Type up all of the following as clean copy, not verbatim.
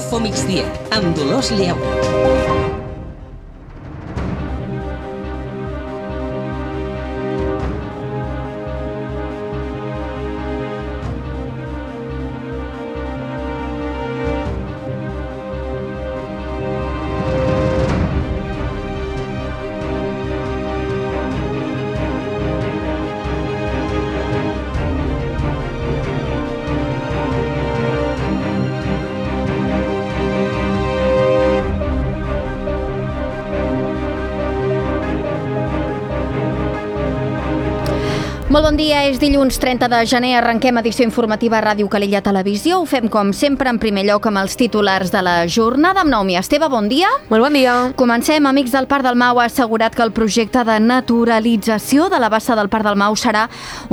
Info Migdia, amb Dolors Lleó. Molt bon dia, és dilluns 30 de gener, arrenquem edició informativa a Ràdio Calella Televisió. Ho fem com sempre en primer lloc amb els titulars de la jornada. Amb Naomi Esteve, bon dia. Molt bon dia. Comencem. Amics del Parc del Mau ha assegurat que el projecte de naturalització de la bassa del Parc del Mau serà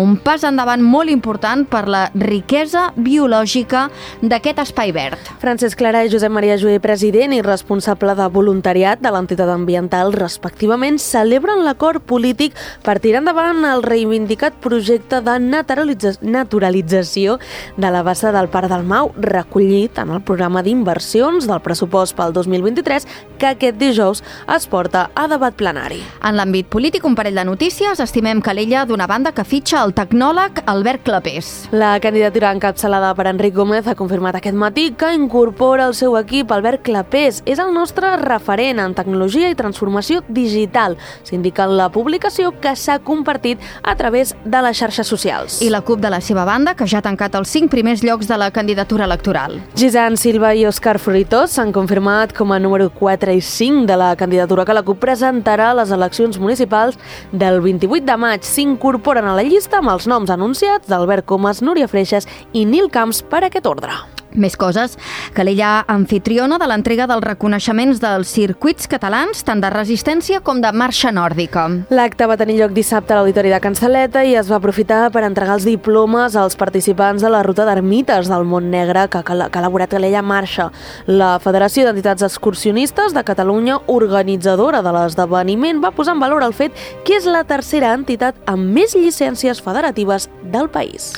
un pas endavant molt important per la riquesa biològica d'aquest espai verd. Francesc Clara i Josep Maria Joé, president i responsable de voluntariat de l'entitat ambiental, respectivament, celebren l'acord polític per tirar endavant el reivindicat projecte de naturalització de la bassa del Parc del Mau, recollit en el programa d'inversions del pressupost pel 2023, que aquest dijous es porta a debat plenari. En l'àmbit polític, un parell de notícies. Estimem Calella, d'una banda, que fitxa el tecnòleg Albert Clapés. La candidatura encapçalada per Enric Gómez ha confirmat aquest matí que incorpora al seu equip Albert Clapés. És el nostre referent en tecnologia i transformació digital, s'indica en la publicació que s'ha compartit a través de les xarxes socials. I la CUP, de la seva banda, que ja ha tancat els 5 primers llocs de la candidatura electoral. Gisant Silva i Òscar Fruitós s'han confirmat com a número 4 i 5 de la candidatura que la CUP presentarà a les eleccions municipals del 28 de maig. S'incorporen a la llista amb els noms anunciats d'Albert Comas, Núria Freixas i Nil Camps per aquest ordre. Més coses. Calella, anfitriona de l'entrega dels reconeixements dels circuits catalans, tant de resistència com de marxa nòrdica. L'acte va tenir lloc dissabte a l'Auditori de Can Saleta i es va aprofitar per entregar els diplomes als participants de la ruta d'ermites del Mont Negre que ha elaborat Calella Marxa. La Federació d'Entitats Excursionistes de Catalunya, organitzadora de l'esdeveniment, va posar en valor el fet que és la tercera entitat amb més llicències federatives del país.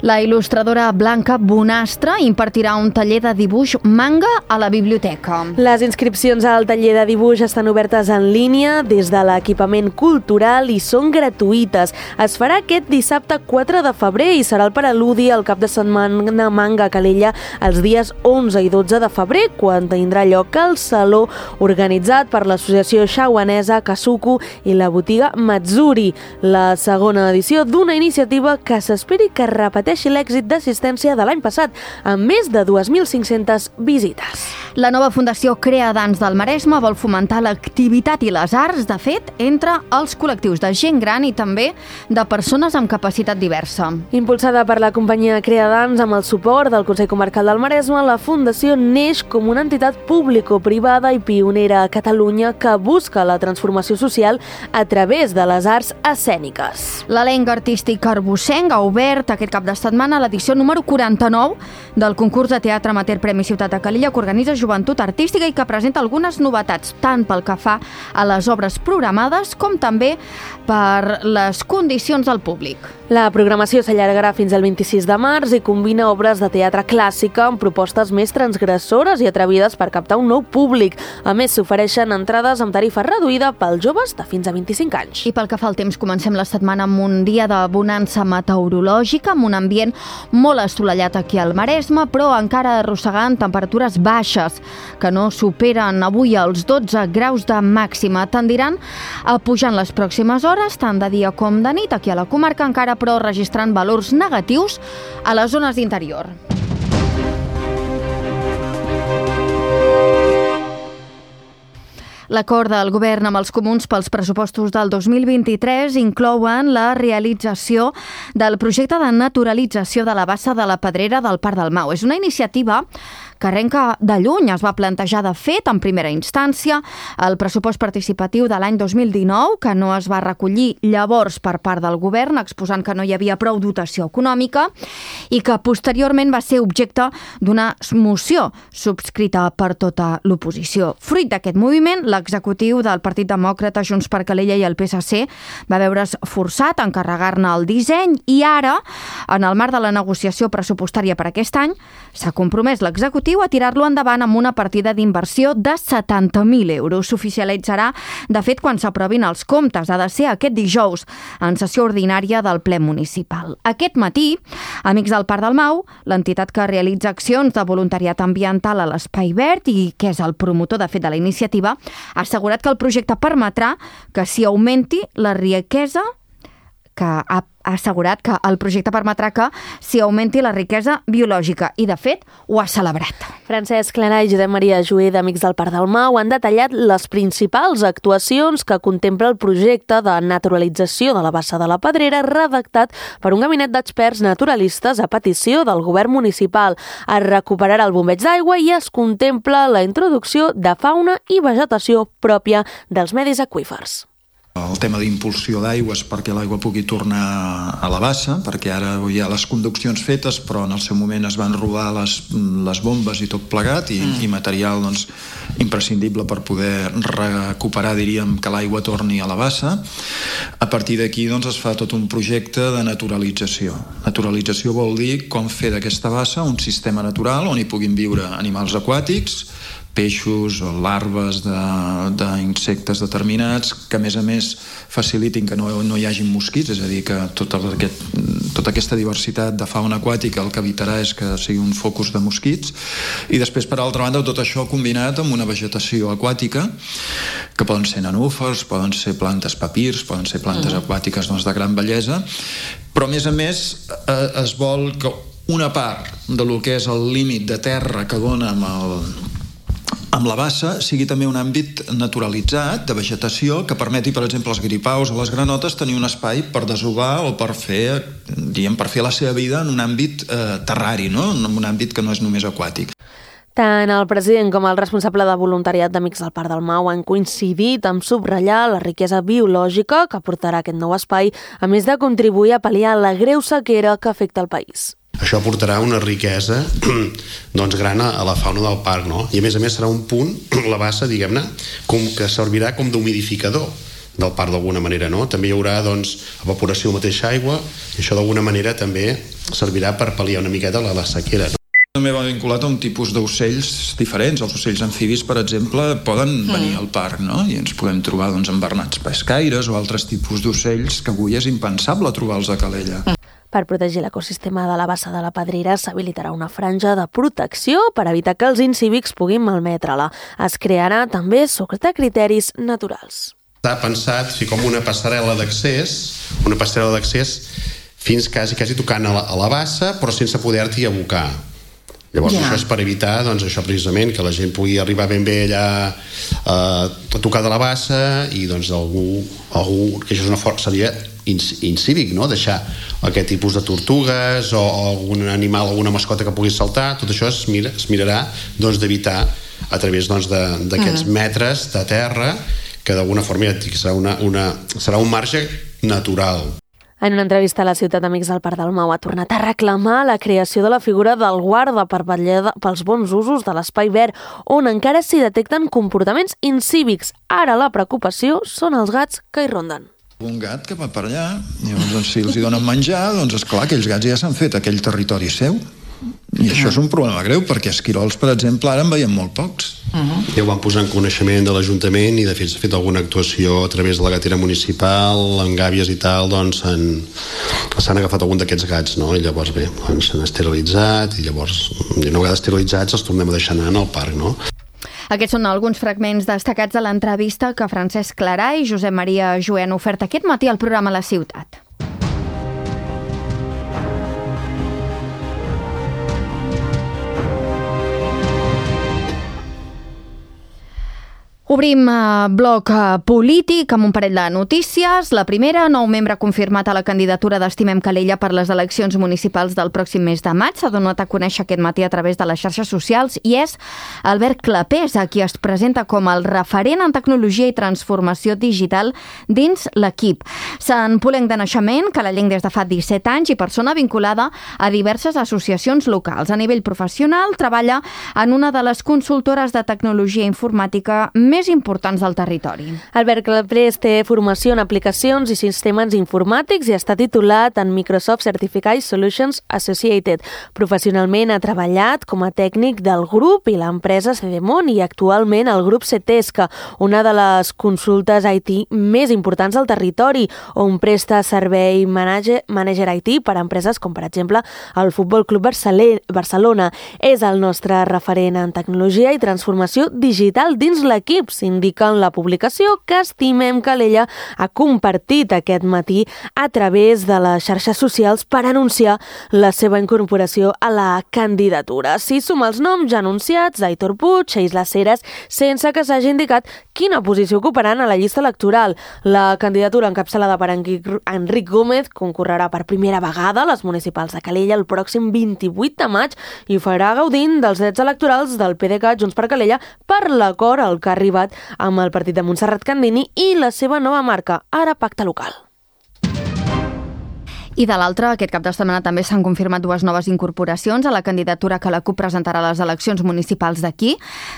La il·lustradora Blanca Bonastre impartirà un taller de dibuix manga a la biblioteca. Les inscripcions al taller de dibuix estan obertes en línia des de l'equipament cultural i són gratuïtes. Es farà aquest dissabte 4 de febrer i serà el preludi al cap de setmana manga a Calella els dies 11 i 12 de febrer, quan tindrà lloc al saló organitzat per l'associació xauanesa Kasuku i la botiga Matsuri, la segona edició d'una iniciativa que s'esperi que repeteixi l'èxit d'assistència de l'any passat, amb més de 2.500 visites. La nova Fundació Crea Dans del Maresme vol fomentar l'activitat i les arts, de fet, entre els col·lectius de gent gran i també de persones amb capacitat diversa. Impulsada per la companyia Crea Dans amb el suport del Consell Comarcal del Maresme, la Fundació neix com una entitat público-privada i pionera a Catalunya que busca la transformació social a través de les arts escèniques. L'elenc artístic arbossenc ha obert aquest cap de setmana l'edició número 49 del concurs de teatre amateur Premi Ciutat de Calella, que organitza Joventut Artística i que presenta algunes novetats, tant pel que fa a les obres programades com també per les condicions del públic. La programació s'allargarà fins al 26 de març i combina obres de teatre clàssica amb propostes més transgressores i atrevides per captar un nou públic. A més, s'ofereixen entrades amb tarifa reduïda pels joves de fins a 25 anys. I pel que fa al temps, comencem la setmana amb un dia de bonança meteorològica, amb un ambient molt assolellat aquí al Maresme, però encara arrossegant temperatures baixes, que no superen avui els 12 graus de màxima. Tendiran a pujar en les pròximes hores, tant de dia com de nit, aquí a la comarca, encara però registrant valors negatius a les zones d'interior. L'acord del govern amb els comuns pels pressupostos del 2023 inclouen la realització del projecte de naturalització de la bassa de la Pedrera del Parc del Mau. És una iniciativa que arrenca de lluny. Es va plantejar, de fet, en primera instància, el pressupost participatiu de l'any 2019, que no es va recollir llavors per part del govern, exposant que no hi havia prou dotació econòmica, i que posteriorment va ser objecte d'una moció subscrita per tota l'oposició. Fruit d'aquest moviment, l'executiu del Partit Demòcrata, Junts per Calella i el PSC va veure's forçat a encarregar-ne el disseny i ara, en el marc de la negociació pressupostària per aquest any, s'ha compromès l'executiu l'objectiu a tirar-lo endavant amb una partida d'inversió de 70.000 euros. S'oficialitzarà, de fet, quan s'aprovin els comptes. Ha de ser aquest dijous, en sessió ordinària del ple municipal. Aquest matí, Amics del Parc del Mau, l'entitat que realitza accions de voluntariat ambiental a l'Espai Verd i que és el promotor, de fet, de la iniciativa, ha assegurat que el projecte permetrà que s'hi augmenti la riquesa biològica i, de fet, ho ha celebrat. Francesc Clarà i Josep Maria Joé d'Amics del Parc del Mau han detallat les principals actuacions que contempla el projecte de naturalització de la Bassa de la Pedrera redactat per un gabinet d'experts naturalistes a petició del govern municipal. Es recuperarà el bombeig d'aigua i es contempla la introducció de fauna i vegetació pròpia dels medis aqüífers. El tema d'impulsió d'aigües perquè l'aigua pugui tornar a la bassa, perquè ara hi ha les conduccions fetes, però en el seu moment es van robar les bombes i tot plegat, i material imprescindible per poder recuperar, diríem, que l'aigua torni a la bassa. A partir d'aquí es fa tot un projecte de naturalització. Naturalització vol dir com fer d'aquesta bassa un sistema natural on hi puguin viure animals aquàtics, peixos o larves d'insectes determinats, que a més facilitin que no hi hagi mosquits, és a dir, que tota aquesta diversitat de fauna aquàtica el que evitarà és que sigui un focus de mosquits. I després, per altra banda, tot això combinat amb una vegetació aquàtica, que poden ser nenúfars, poden ser plantes papirs, poden ser plantes aquàtiques de gran bellesa, però a més es vol que una part del que és el límit de terra que dona amb la bassa sigui també un àmbit naturalitzat de vegetació que permeti, per exemple, als gripaus o les granotes tenir un espai per desovar o per fer la seva vida en un àmbit terrari, en un àmbit que no és només aquàtic. Tant el president com el responsable de voluntariat d'Amics del Parc del Mau han coincidit en subratllar la riquesa biològica que aportarà aquest nou espai, a més de contribuir a pal·liar la greu sequera que afecta el país. Això aportarà una riquesa gran a la fauna del parc, no? I a més serà un punt, la bassa, diguem-ne, que servirà com d'humidificador del parc d'alguna manera, no? També hi haurà evaporació de mateixa aigua i això d'alguna manera també servirà per pal·liar una miqueta la sequera, no? També va vinculat a un tipus d'ocells diferents. Els ocells amfibis, per exemple, poden venir al parc, no? I ens podem trobar embernats pescaires o altres tipus d'ocells que avui és impensable trobar-los a Calella. Per protegir l'ecosistema de la Bassa de la Pedrera s'habilitarà una franja de protecció per evitar que els incívics puguin malmetre-la. Es crearà també sota criteris naturals. Està pensat com una passarel·la d'accés fins quasi tocant a la bassa, però sense poder-t'hi abocar. Llavors això és per evitar això precisament, que la gent pugui arribar ben bé allà a tocar de la bassa i algú que això és una força, seria incívic, no? Deixar aquest tipus de tortugues o algun animal, alguna mascota que pugui saltar, tot això es mirarà d'evitar a través d'aquests metres de terra que d'alguna forma serà un marge natural. En una entrevista a la ciutat Amics del Parc del Mau ha tornat a reclamar la creació de la figura del guarda per vetllar pels bons usos de l'espai verd, on encara s'hi detecten comportaments incívics. Ara la preocupació són els gats que hi ronden. Un gat que va per allà, llavors si els hi donen menjar, esclar, aquells gats ja s'han fet aquell territori seu. I això és un problema greu, perquè esquirols, per exemple, ara en veiem molt pocs. Ja ho van posar en coneixement de l'Ajuntament i de fet s'ha fet alguna actuació a través de la gatera municipal, en gàbies i tal, s'han agafat algun d'aquests gats, no? I llavors bé, s'han esterilitzat i llavors, una vegada esterilitzats els tornem a deixar anar al parc, no? Aquests són alguns fragments destacats de l'entrevista que Francesc Clarà i Josep Maria Joé han ofert aquest matí al programa La Ciutat. Obrim bloc polític amb un parell de notícies. La primera, nou membre confirmat a la candidatura d'Estimem Calella per les eleccions municipals del pròxim mes de maig. S'ha donat a conèixer aquest matí a través de les xarxes socials i és Albert Clapés, a qui es presenta com el referent en tecnologia i transformació digital dins l'equip. Sant Polenc de naixement, calellenc des de fa 17 anys i persona vinculada a diverses associacions locals. A nivell professional, treballa en una de les consultores de tecnologia informàtica més més importants del territori. Albert Clapés té formació en aplicacions i sistemes informàtics i està titulat en Microsoft Certified Solutions Associated. Professionalment ha treballat com a tècnic del grup i l'empresa Cedemon i actualment el grup Cetesca, una de les consultes IT més importants del territori, on presta servei manager IT per a empreses com, per exemple, el Futbol Club Barcelona. És el nostre referent en tecnologia i transformació digital dins l'equip, s'indica en la publicació que Estimem Calella ha compartit aquest matí a través de les xarxes socials per anunciar la seva incorporació a la candidatura. Si suma els noms ja anunciats d'Aitor Puig, Isla Ceres, sense que s'hagi indicat quina posició ocuparan a la llista electoral. La candidatura encapçalada per Enric Gómez concorrerà per primera vegada a les municipals de Calella el pròxim 28 de maig i farà gaudint dels drets electorals del PDeCAT Junts per Calella per l'acord al que ha arribat amb el partit de Montserrat Candini i la seva nova marca, ara Pacte Local. I de l'altra, aquest cap de setmana també s'han confirmat dues noves incorporacions a la candidatura que la CUP presentarà a les eleccions municipals d'aquí.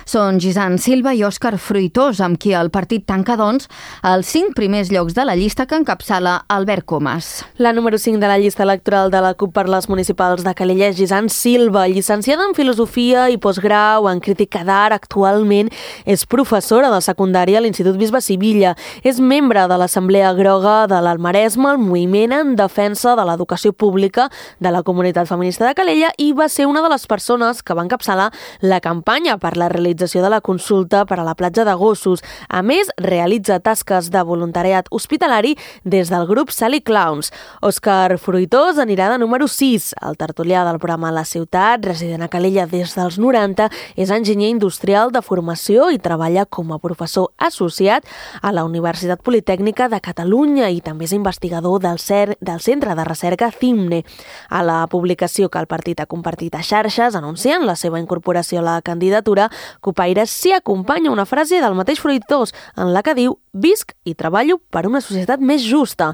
Són Gisant Silva i Òscar Fruitós, amb qui el partit tanca, doncs, els 5 primers llocs de la llista que encapçala Albert Comas. La número 5 de la llista electoral de la CUP per les municipals de Calella és Gisant Silva, llicenciada en Filosofia i postgrau en Crítica d'Art. Actualment és professora de secundària a l'Institut Bisbe Sivilla. És membre de l'Assemblea Groga de l'Almaresme, el moviment en defensa de l'educació pública de la comunitat feminista de Calella i va ser una de les persones que va encapçalar la campanya per la realització de la consulta per a la platja de Gossos. A més, realitza tasques de voluntariat hospitalari des del grup Sally Clowns. Òscar Fruitós anirà de número 6. El tertulià del programa La Ciutat, resident a Calella des dels 90, és enginyer industrial de formació i treballa com a professor associat a la Universitat Politècnica de Catalunya i també és investigador del Centre de Recerca CIMNE. A la publicació que el partit ha compartit a xarxes anunciant la seva incorporació a la candidatura, Cupaires s'hi acompanya una frase del mateix Fruitós en la que diu «Visc i treballo per una societat més justa».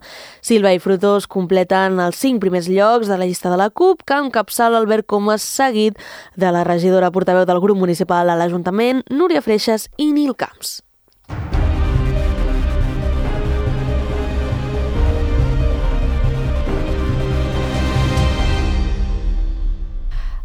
Silva i Fruitós completen els 5 primers llocs de la llista de la CUP, que encapçala Albert Comas, seguit de la regidora portaveu del grup municipal a l'Ajuntament, Núria Freixas i Nil Camps.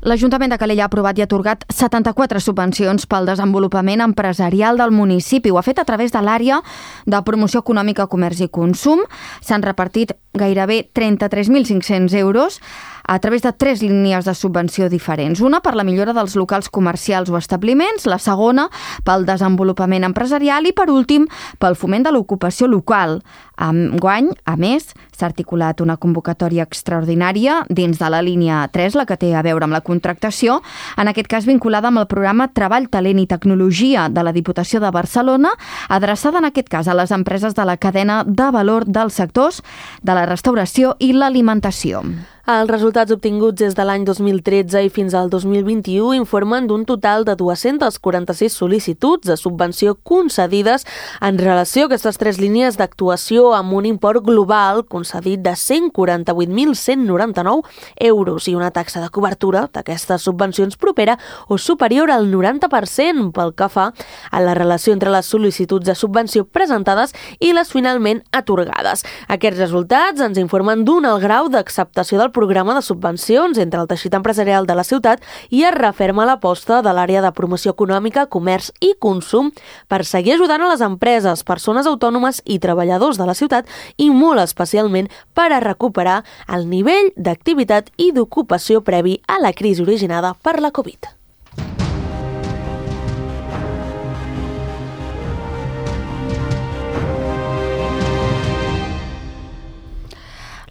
L'Ajuntament de Calella ha aprovat i atorgat 74 subvencions pel desenvolupament empresarial del municipi. Ho ha fet a través de l'àrea de promoció econòmica, comerç i consum. S'han repartit gairebé 33.500 euros a través de 3 línies de subvenció diferents. Una per la millora dels locals comercials o establiments, la segona pel desenvolupament empresarial i, per últim, pel foment de l'ocupació local. Enguany, a més, s'ha articulat una convocatòria extraordinària dins de la línia 3, la que té a veure amb la contractació, en aquest cas vinculada amb el programa Treball, Talent i Tecnologia de la Diputació de Barcelona, adreçada en aquest cas a les empreses de la cadena de valor dels sectors de la restauració i l'alimentació. Els resultats obtinguts des de l'any 2013 i fins al 2021 informen d'un total de 246 sol·licituds de subvenció concedides en relació a aquestes 3 línies d'actuació amb un import global concedit de 148.199 euros i una taxa de cobertura d'aquestes subvencions propera o superior al 90% pel que fa a la relació entre les sol·licituds de subvenció presentades i les finalment atorgades. Aquests resultats ens informen d'un alt grau d'acceptació del programa de subvencions entre el teixit empresarial de la ciutat i es referma l'aposta de l'àrea de promoció econòmica, comerç i consum per seguir ajudant a les empreses, persones autònomes i treballadors de la ciutat i molt especialment per a recuperar el nivell d'activitat i d'ocupació previ a la crisi originada per la Covid.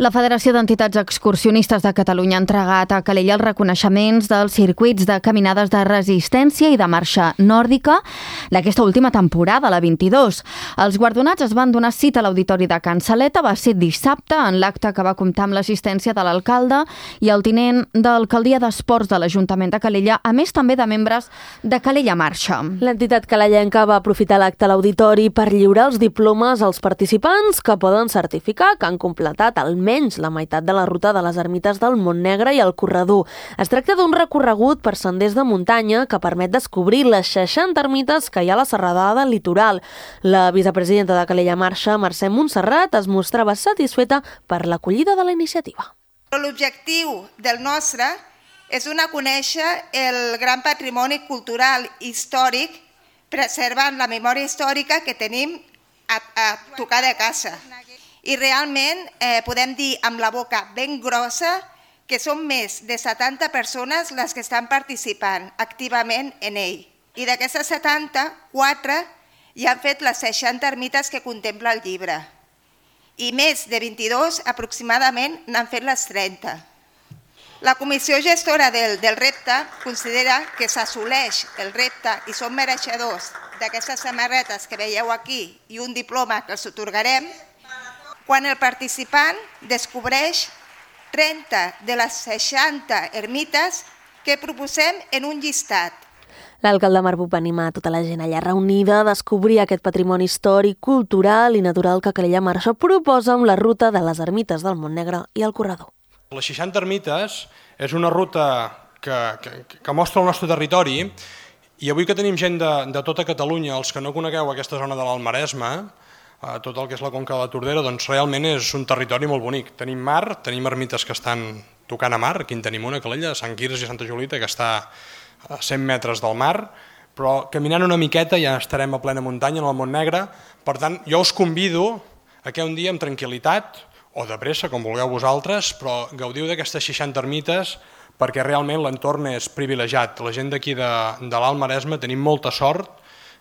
La Federació d'Entitats Excursionistes de Catalunya ha entregat a Calella els reconeixements dels circuits de caminades de resistència i de marxa nòrdica d'aquesta última temporada, la 22. Els guardonats es van donar cita a l'Auditori de Can Saleta, va ser dissabte, en l'acte que va comptar amb l'assistència de l'alcalde i el tinent d'Alcaldia d'Esports de l'Ajuntament de Calella, a més també de membres de Calella Marxa. L'entitat calellenca va aprofitar l'acte a l'Auditori per lliurar els diplomes als participants que poden certificar que han completat almenys almenys la meitat de la ruta de les ermites del Montnegre i el Corredor. Es tracta d'un recorregut per senders de muntanya que permet descobrir les 60 ermites que hi ha a la serralada del litoral. La vicepresidenta de Calella Marxa, Mercè Montserrat, es mostrava satisfeta per l'acollida de la iniciativa. L'objectiu del nostre és donar a conèixer el gran patrimoni cultural i històric, preservant la memòria històrica que tenim a tocar de casa. I realment podem dir amb la boca ben grossa que són més de 70 persones les que estan participant activament en ell. I d'aquestes 70, 4 ja han fet les 60 ermites que contempla el llibre. I més de 22 aproximadament n'han fet les 30. La comissió gestora del repte considera que s'assoleix el repte i són mereixedors d'aquestes samarretes que veieu aquí i un diploma que els atorgarem quan el participant descobreix 30 de les 60 ermites que proposem en un llistat. L'alcalde Marc Buch va animar tota la gent allà reunida a descobrir aquest patrimoni històric, cultural i natural que Calella Marxa proposa amb la ruta de les ermites del Montnegre i el Corredor. Les 60 ermites és una ruta que mostra el nostre territori i avui que tenim gent de tota Catalunya, els que no conegueu aquesta zona de l'Alt Maresme, tot el que és la conca de la Tordera, doncs realment és un territori molt bonic. Tenim mar, tenim ermites que estan tocant a mar, aquí en tenim una, Calella, Sant Quirze i Santa Julita, que està a 100 metres del mar, però caminant una miqueta ja estarem a plena muntanya, en el Montnegre. Per tant, jo us convido a que un dia amb tranquil·litat, o de pressa, com vulgueu vosaltres, però gaudiu d'aquestes 60 ermites perquè realment l'entorn és privilegiat. La gent d'aquí de l'Alt Maresme tenim molta sort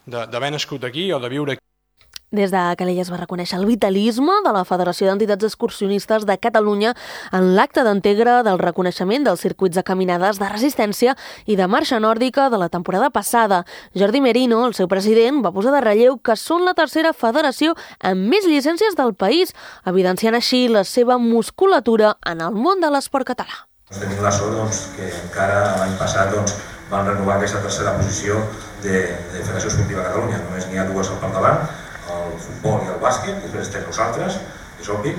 d'haver nascut aquí o de viure aquí. Des de Calella es va reconèixer el vitalisme de la Federació d'Entitats Excursionistes de Catalunya en l'acte d'entegre del reconeixement dels circuits de caminades de resistència i de marxa nòrdica de la temporada passada. Jordi Merino, el seu president, va posar de relleu que són la tercera federació amb més llicències del país, evidenciant així la seva musculatura en el món de l'esport català. Tenim la sort que encara l'any passat van renovar aquesta tercera posició de Federació Esportiva de Catalunya. Només n'hi ha dues al capdavant, el futbol i el bàsquet, i després estem nosaltres, és obvi,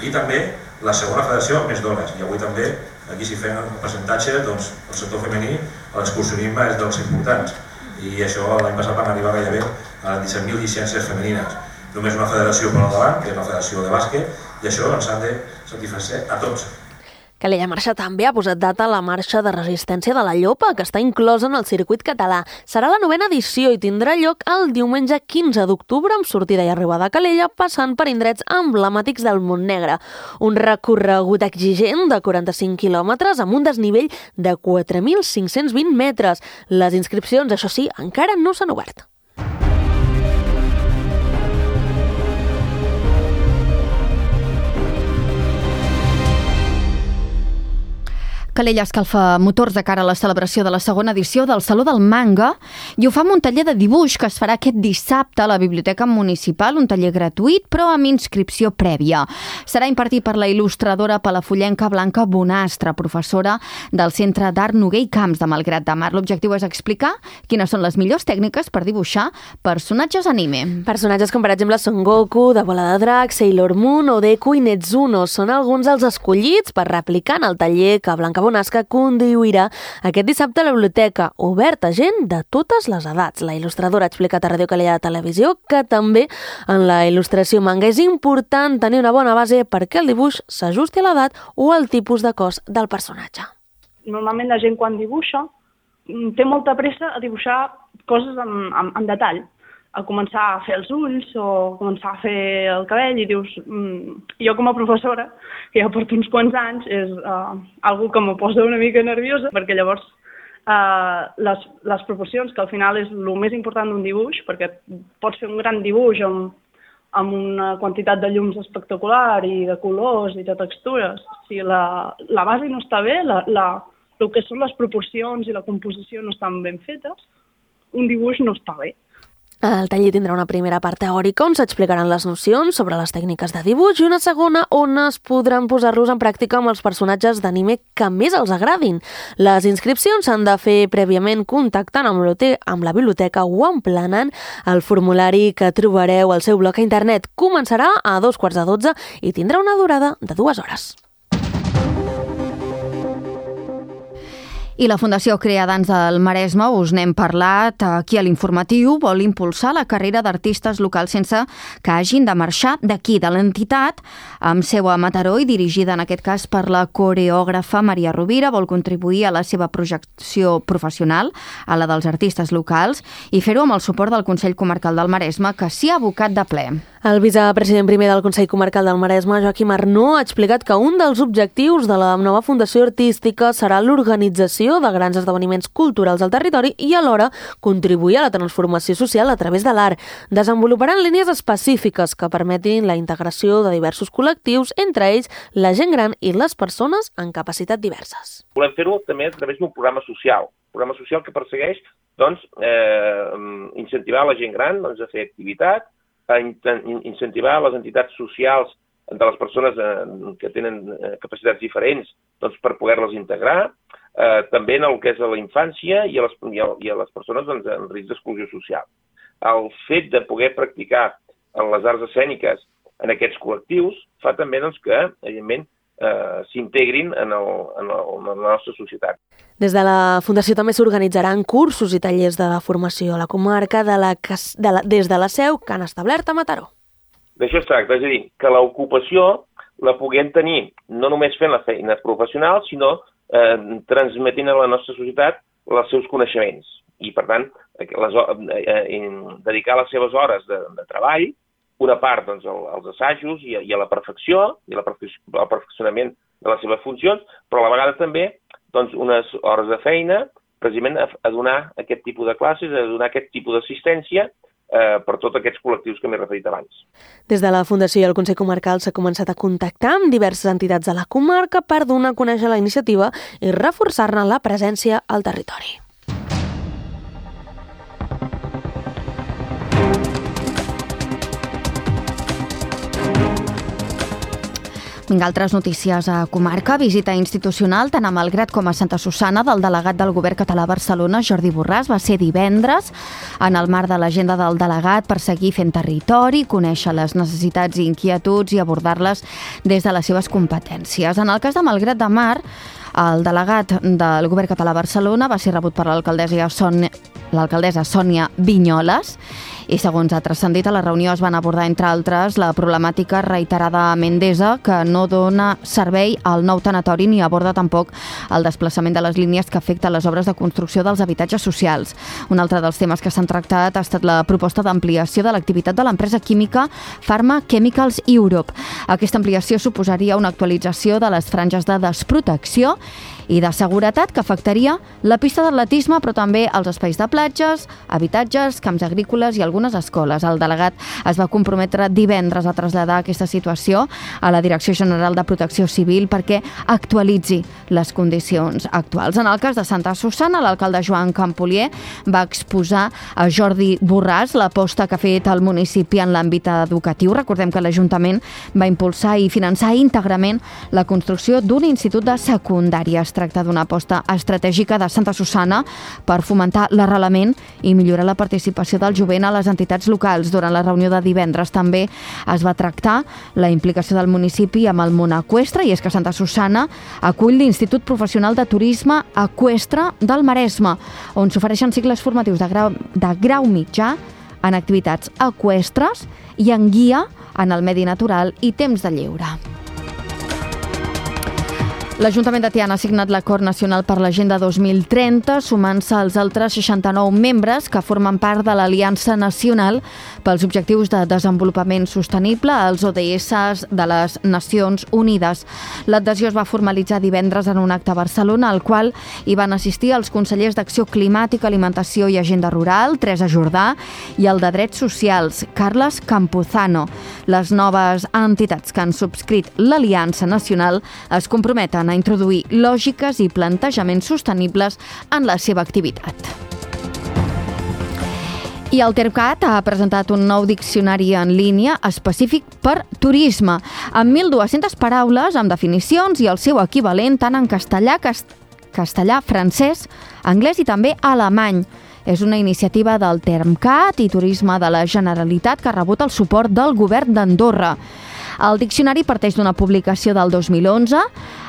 i també la segona federació amb més dones. I avui també, aquí si fem un percentatge, el sector femení, l'excursionisme és dels importants. I això l'any passat van arribar gairebé a 17.000 llicències femenines. Només una federació per al davant, que és la federació de bàsquet, i això ens han de satisfer a tots. Calella Marxa també ha posat data a la marxa de resistència de la Llopa, que està inclosa en el circuit català. Serà la 9ª edició i tindrà lloc el diumenge 15 d'octubre amb sortida i arribada a Calella, passant per indrets emblemàtics del Montnegre. Un recorregut exigent de 45 quilòmetres amb un desnivell de 4.520 metres. Les inscripcions, això sí, encara no s'han obert. Calella escalfa motors de cara a la celebració de la segona edició del Saló del Manga i ho fa amb un taller de dibuix que es farà aquest dissabte a la Biblioteca Municipal, un taller gratuït però amb inscripció prèvia. Serà impartit per la il·lustradora palafullenca Blanca Bonastre, professora del Centre d'Art Noguer i Camps de Malgrat de Mar. L'objectiu és explicar quines són les millors tècniques per dibuixar personatges anime. Personatges com per exemple Son Goku, de Bola de Drac, Sailor Moon o Deku i Netsuno són alguns dels escollits per replicar en el taller que Blanca Bonastre conduirà aquest dissabte a la biblioteca, obert a gent de totes les edats. La il·lustradora ha explicat a Ràdio Calella de Televisió que també en la il·lustració manga és important tenir una bona base perquè el dibuix s'ajusti a l'edat o al tipus de cos del personatge. Normalment la gent quan dibuixa té molta pressa a dibuixar coses en detall, a començar a fer els ulls o començar a fer el cabell i dius, jo com a professora, que ja porto uns quants anys, és algo que me posa una mica nerviosa, perquè llavors les proporcions, que al final és el més important d'un dibuix, perquè pots fer un gran dibuix amb una quantitat de llums espectacular i de colors i de textures. Si la base no està bé, el que són les proporcions i la composició no estan ben fetes, un dibuix no està bé. El taller tindrà una primera part teòrica on s'explicaran les nocions sobre les tècniques de dibuix i una segona on es podran posar-los en pràctica amb els personatges d'anime que més els agradin. Les inscripcions s'han de fer prèviament contactant amb la biblioteca o emplenant el formulari que trobareu al seu blog a internet. Començarà a 12:45 i tindrà una durada de 2 hores. I la Fundació Creadans del Maresme, us n'hem parlat aquí a l'informatiu, vol impulsar la carrera d'artistes locals sense que hagin de marxar d'aquí, de l'entitat, amb seu a Mataró i dirigida en aquest cas per la coreògrafa Maria Rovira. Vol contribuir a la seva projecció professional, a la dels artistes locals, i fer-ho amb el suport del Consell Comarcal del Maresme, que s'hi ha abocat de ple. El vicepresident primer del Consell Comarcal del Maresme, Joaquim Arnó, ha explicat que un dels objectius de la nova Fundació Artística serà l'organització de grans esdeveniments culturals al territori i alhora contribuir a la transformació social a través de l'art. Desenvoluparan línies específiques que permetin la integració de diversos col·lectius, entre ells la gent gran i les persones amb capacitats diverses. Volem fer-ho també a través d'un programa social que persegueix incentivar la gent gran a fer activitat, a incentivar les entitats socials de les persones que tenen capacitats diferents per poder-les integrar, també en el que és a la infància i a les persones en risc d'exclusió social. El fet de poder practicar en les arts escèniques en aquests col·lectius fa també que, evidentment, s'integrin en la nostra societat. Des de la Fundació també s'organitzaran cursos i tallers de formació a la comarca des de la seu que han establert a Mataró. D'això es tracta, és a dir, que l'ocupació la puguem tenir no només fent la feina professional, sinó transmetint a la nostra societat els seus coneixements. I, per tant, dedicar les seves hores de treball, una part als assajos i a la perfecció, i al perfeccionament de les seves funcions, però a la vegada també unes hores de feina precisament a donar aquest tipus de classes, a donar aquest tipus d'assistència per tots aquests col·lectius que m'he referit abans. Des de la Fundació i el Consell Comarcal s'ha començat a contactar amb diverses entitats de la comarca per donar a conèixer la iniciativa i reforçar-ne la presència al territori. Vinga, altres notícies a comarca. Visita institucional tant a Malgrat com a Santa Susanna del delegat del Govern català a Barcelona, Jordi Borràs. Va ser divendres en el marc de l'agenda del delegat per seguir fent territori, conèixer les necessitats i inquietuds i abordar-les des de les seves competències. En el cas de Malgrat de Mar, el delegat del Govern català a Barcelona va ser rebut per l'alcaldessa Sònia Vinyoles i, segons ha transcendit, a la reunió es van abordar, entre altres, la problemàtica reiterada a Mendesa, que no dona servei al nou tanatori ni aborda tampoc el desplaçament de les línies que afecta les obres de construcció dels habitatges socials. Un altre dels temes que s'han tractat ha estat la proposta d'ampliació de l'activitat de l'empresa química Pharma Chemicals Europe. Aquesta ampliació suposaria una actualització de les franges de desprotecció i de seguretat que afectaria la pista d'atletisme, però també els espais de platges, habitatges, camps agrícoles i algunes escoles. El delegat es va comprometre divendres a traslladar aquesta situació a la Direcció General de Protecció Civil perquè actualitzi les condicions actuals. En el cas de Santa Susanna, l'alcalde Joan Campolier va exposar a Jordi Borràs l'aposta que ha fet el municipi en l'àmbit educatiu. Recordem que l'Ajuntament va impulsar i finançar íntegrament la construcció d'un institut de secundària. Es tracta d'una aposta estratègica de Santa Susanna per fomentar l'arrelament i millorar la participació del jovent a les entitats locals. Durant la reunió de divendres també es va tractar la implicació del municipi amb el món eqüestre, i és que Santa Susanna acull l'Institut Professional de Turisme Eqüestre del Maresme, on s'ofereixen cicles formatius de grau mitjà en activitats eqüestres i en guia en el medi natural i temps de lleure. L'Ajuntament de Tiana ha signat l'Acord Nacional per l'Agenda 2030, sumant-se als altres 69 membres que formen part de l'Aliança Nacional pels Objectius de Desenvolupament Sostenible, els ODS de les Nacions Unides. L'adhesió es va formalitzar divendres en un acte a Barcelona, al qual hi van assistir els consellers d'Acció Climàtica, Alimentació i Agenda Rural, Teresa Jordà, i el de Drets Socials, Carles Campuzano. Les noves entitats que han subscrit l'Aliança Nacional es comprometen a introduir lògiques i plantejaments sostenibles en la seva activitat. I el Termcat ha presentat un nou diccionari en línia específic per turisme, amb 1.200 paraules, amb definicions i el seu equivalent tant en castellà, francès, anglès i també alemany. És una iniciativa del Termcat i Turisme de la Generalitat que ha rebut el suport del govern d'Andorra. El diccionari parteix d'una publicació del 2011,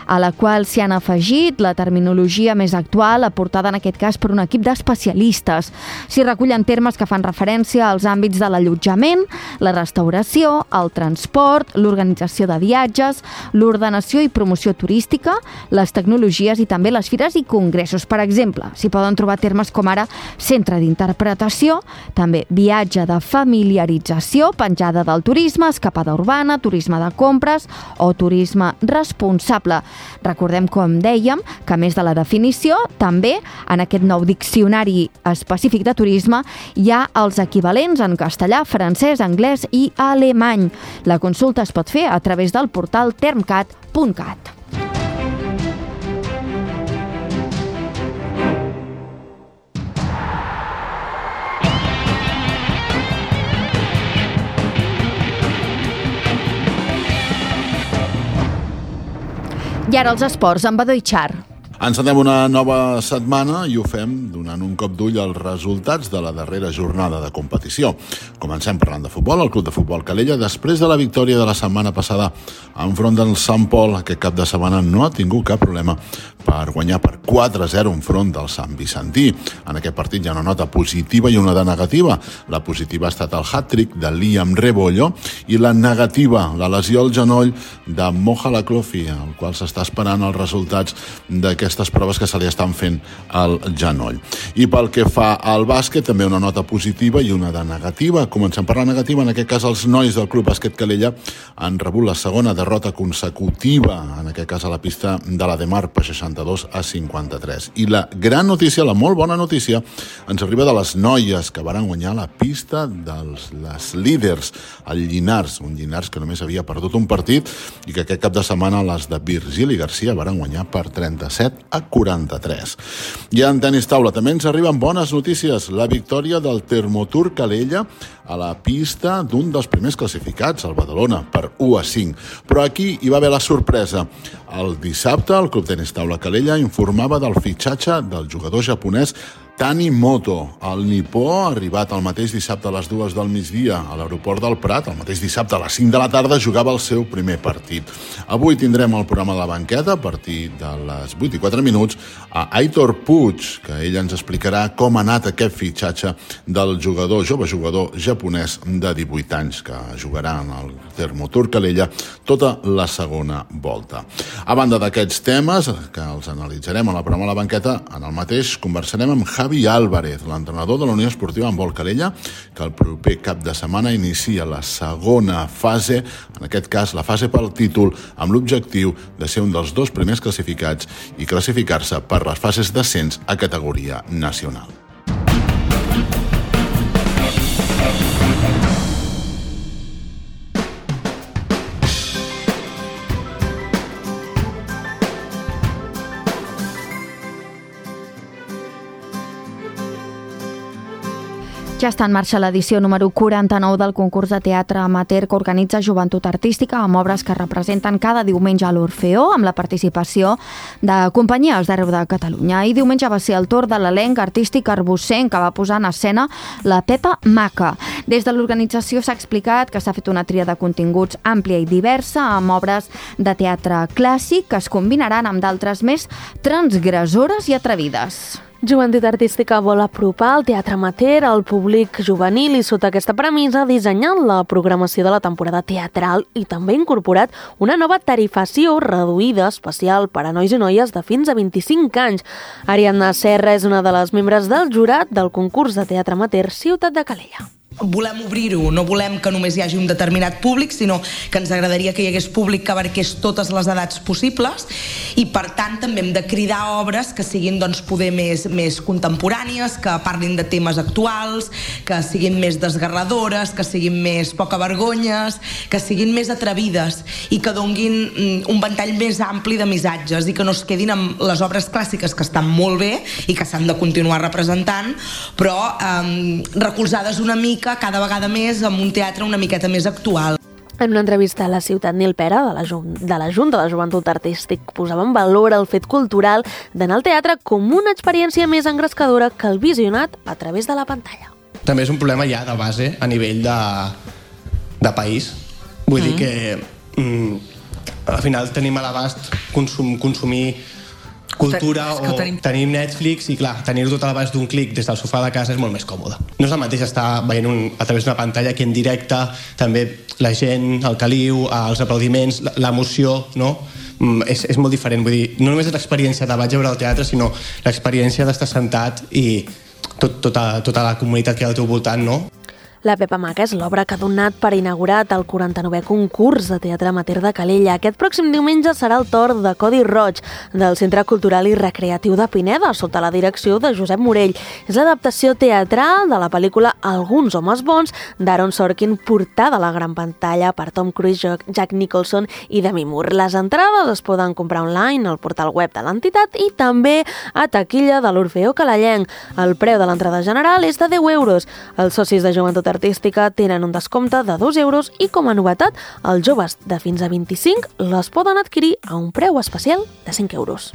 a la qual s'hi han afegit la terminologia més actual, aportada en aquest cas per un equip d'especialistes. S'hi recullen termes que fan referència als àmbits de l'allotjament, la restauració, el transport, l'organització de viatges, l'ordenació i promoció turística, les tecnologies i també les fires i congressos. Per exemple, s'hi poden trobar termes com ara centre d'interpretació, també viatge de familiarització, penjada del turisme, escapada urbana, turisme de compres o turisme responsable. Recordem, com dèiem, que a més de la definició, també en aquest nou diccionari específic de turisme hi ha els equivalents en castellà, francès, anglès i alemany. La consulta es pot fer a través del portal termcat.cat. I ara els esports, amb Badó i Char. Encetem una nova setmana i ho fem donant un cop d'ull als resultats de la darrera jornada de competició. Comencem parlant de futbol. El Club de Futbol Calella, després de la victòria de la setmana passada enfront del Sant Pol, aquest cap de setmana no ha tingut cap problema per guanyar per 4-0 enfront del Sant Vicentí. En aquest partit hi ha una nota positiva i una de negativa. La positiva ha estat el hat-trick de Liam Rebollo i la negativa, la lesió al genoll de Moja Laclofi, el qual s'està esperant els resultats d'aquestes proves que se li estan fent al genoll. I pel que fa al bàsquet, també una nota positiva i una de negativa. Comencem per la negativa. En aquest cas, els nois del Club Bàsquet Calella han rebut la segona derrota consecutiva, en aquest cas a la pista de la Demar, per 62-53. I la gran notícia, la molt bona notícia, ens arriba de les noies que varen guanyar la pista les líders, el Llinars, un Llinars que només havia perdut un partit i que aquest cap de setmana les de Virgili Garcia varen guanyar per 37-43. I en tenis taula també ens arriben bones notícies. La victòria del Termotur Calella a la pista d'un dels primers classificats, el Badalona, per 1-5. Però aquí hi va haver la sorpresa. El dissabte, el Club Tenis Taula Calella informava del fitxatge del jugador japonès Tanimoto. El nipó ha arribat el mateix dissabte a les 2 del migdia a l'aeroport del Prat. El mateix dissabte a les 5 de la tarda jugava el seu primer partit. Avui tindrem el programa de la banqueta a partir de les 8:04 a Aitor Puig, que ell ens explicarà com ha anat aquest fitxatge del jove jugador japonès de 18 anys, que jugarà en el Termotur Calella tota la segona volta. A banda d'aquests temes, que els analitzarem a la programa de la banqueta, en el mateix conversarem amb Javi Álvarez, l'entrenador de la Unió Esportiva Handbol Calella, que el proper cap de setmana inicia la segona fase, en aquest cas la fase pel títol, amb l'objectiu de ser un dels 2 primers classificats i classificar-se per les fases d'ascens a categoria nacional. Ja està en marxa l'edició número 49 del concurs de teatre amateur que organitza Joventut Artística, amb obres que representen cada diumenge a l'Orfeó, amb la participació de companyies d'arreu de Catalunya. I diumenge va ser el torn de l'elenc artístic arbussenc, que va posar en escena la Pepa Maca. Des de l'organització s'ha explicat que s'ha fet una tria de continguts àmplia i diversa, amb obres de teatre clàssic que es combinaran amb d'altres més transgressores i atrevides. Joventut Artística vol apropar el teatre amateur al públic juvenil i sota aquesta premissa ha dissenyat la programació de la temporada teatral i també ha incorporat una nova tarifació reduïda especial per a nois i noies de fins a 25 anys. Ariadna Serra és una de les membres del jurat del concurs de teatre amateur Ciutat de Calella. volem obrir-ho, no volem que només hi hagi un determinat públic, sinó que ens agradaria que hi hagués públic que abarqués totes les edats possibles, i per tant també hem de cridar obres que siguin poder més contemporànies, que parlin de temes actuals, que siguin més desgarradores, que siguin més pocavergonyes, que siguin més atrevides i que donguin un ventall més ampli de missatges i que no es quedin amb les obres clàssiques, que estan molt bé i que s'han de continuar representant, però recolzades una mica cada vegada més amb un teatre una miqueta més actual. En una entrevista a La Ciutat, Nil Pera, de la Junta de Joventut Artístic, posava en valor el fet cultural d'anar al teatre com una experiència més engrescadora que el visionat a través de la pantalla. També és un problema ja de base a nivell de país. Vull dir que al final tenim a l'abast consumir cultura o tenim Netflix i clar, tenir-ho tot a l'abast d'un clic des del sofà de casa és molt més còmode. No és el mateix estar veient a través d'una pantalla que en directe, també la gent, el caliu, els aplaudiments, l'emoció, no? És molt diferent. Vull dir, no només és l'experiència de vaig a veure el teatre, sinó l'experiència d'estar sentat i tota la comunitat que hi ha al teu voltant, no? La Pepa Maca és l'obra que ha donat per inaugurat el 49è concurs de teatre amateur de Calella. Aquest pròxim diumenge serà el torn de Codi Roig, del Centre Cultural i Recreatiu de Pineda, sota la direcció de Josep Morell. És l'adaptació teatral de la pel·lícula Alguns homes bons, d'Aaron Sorkin, portada a la gran pantalla per Tom Cruise, Jack Nicholson i Demi Moore. Les entrades es poden comprar online al portal web de l'entitat i també a taquilla de l'Orfeó Calellenc. El preu de l'entrada general és de 10 euros. Els socis de Joventut Artística tenen un descompte de 2 euros i, com a novetat, els joves de fins a 25 les poden adquirir a un preu especial de 5 euros.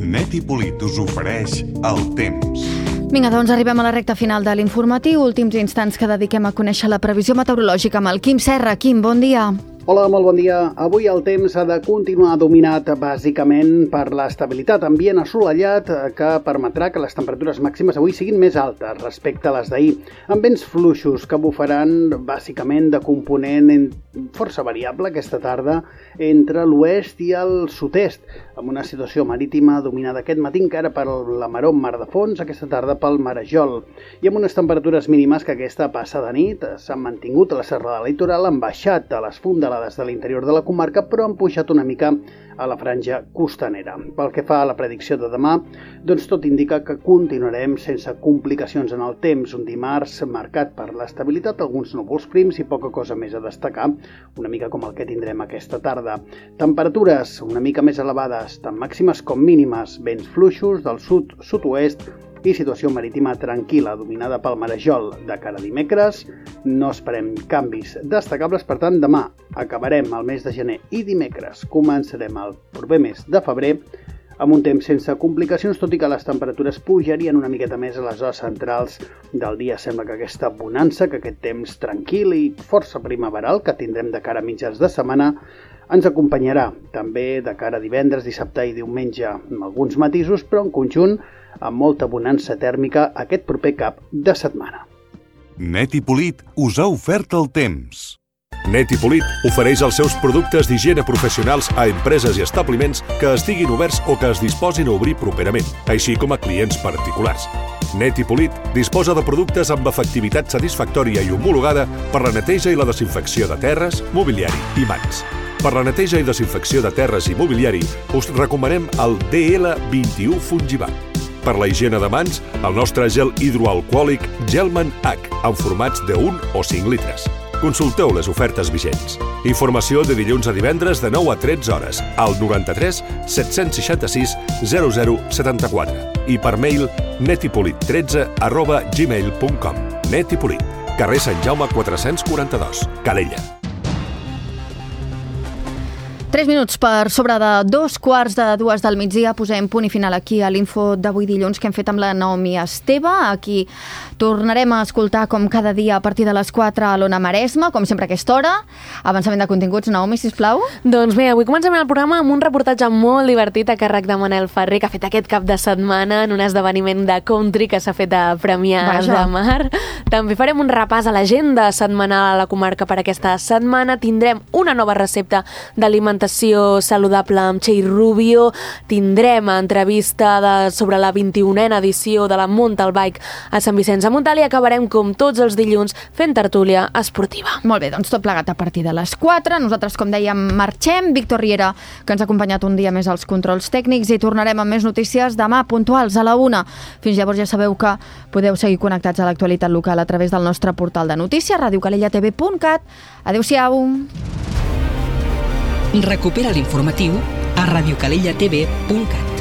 Net i Polit us ofereix el temps. Vinga, doncs arribem a la recta final de l'informatiu, últims instants que dediquem a conèixer la previsió meteorològica amb el Quim Serra. Quim, bon dia. Hola, molt bon dia. Avui el temps ha de continuar dominat bàsicament per l'estabilitat, ambient assolellat que permetrà que les temperatures màximes avui siguin més altes respecte a les d'ahir, amb vents fluixos que bufaran bàsicament de component força variable aquesta tarda entre l'oest i el sud-est, amb una situació marítima dominada aquest matí encara per la maró mar de fons, aquesta tarda pel marejol, i amb unes temperatures mínimes que aquesta passada nit s'han mantingut a la serrada litoral, han baixat a les fondalades de l'interior de la comarca, però han pujat una mica a la franja costanera. Pel que fa a la predicció de demà, doncs tot indica que continuarem sense complicacions en el temps, un dimarts marcat per l'estabilitat, alguns núvols prims i poca cosa més a destacar, una mica com el que tindrem aquesta tarda. Temperatures una mica més elevades, tant màximes com mínimes, vents fluixos del sud-sud-oest i situació marítima tranquil·la, dominada pel marejol. De cara a dimecres, no esperem canvis destacables, per tant, demà acabarem el mes de gener i dimecres començarem el proper mes de febrer amb un temps sense complicacions, tot i que les temperatures pujarien una miqueta més a les hores centrals del dia. Sembla que aquesta bonança, que aquest temps tranquil i força primaveral que tindrem de cara a mitjans de setmana ens acompanyarà també de cara a divendres, dissabte i diumenge, amb alguns matisos, però en conjunt amb molta bonança tèrmica aquest proper cap de setmana. Net i Polit us ha ofert el temps. Net i Polit ofereix els seus productes d'higiene professionals a empreses i establiments que estiguin oberts o que es disposin a obrir properament, així com a clients particulars. Net i Polit disposa de productes amb efectivitat satisfactòria i homologada per la neteja i la desinfecció de terres, mobiliari i mans. Per la neteja i desinfecció de terres i mobiliari us recomanem el DL21 Fungibat. Per la higiene de mans, el nostre gel hidroalcohòlic Gelman H, en formats de 1 o 5 litres. Consulteu les ofertes vigents. Informació de dilluns a divendres de 9 a 13 hores al 93 766 0074 i per mail netipolit13@gmail.com. Net i Polit, carrer Sant Jaume 442, Calella. 3 minuts per sobre de 2:45 del migdia. Posem punt i final aquí a l'info d'avui dilluns que hem fet amb la Naomi Esteve. Aquí tornarem a escoltar com cada dia a partir de les 4 a l'Ona Maresma, com sempre a aquesta hora. Avançament de continguts, Naomi, sisplau. Doncs bé, avui comencem el programa amb un reportatge molt divertit a càrrec de Manel Ferrer, que ha fet aquest cap de setmana en un esdeveniment de country que s'ha fet a Premià de Mar. També farem un repàs a l'agenda setmanal a la comarca per aquesta setmana. Tindrem una nova recepta d'alimentació alimentació saludable amb Txell Rubio, tindrem entrevista sobre la 21a edició de la Mountain Bike a Sant Vicenç de Montalt i acabarem com tots els dilluns fent tertúlia esportiva. Molt bé, doncs tot plegat a partir de les 4. Nosaltres, com dèiem, marxem. Víctor Riera, que ens ha acompanyat un dia més als controls tècnics, i tornarem amb més notícies demà puntuals a la 1. Fins llavors ja sabeu que podeu seguir connectats a l'actualitat local a través del nostre portal de notícies, radiocalellatv.cat. Adéu-siau. Recupera l'informatiu a radiocalellatv.cat.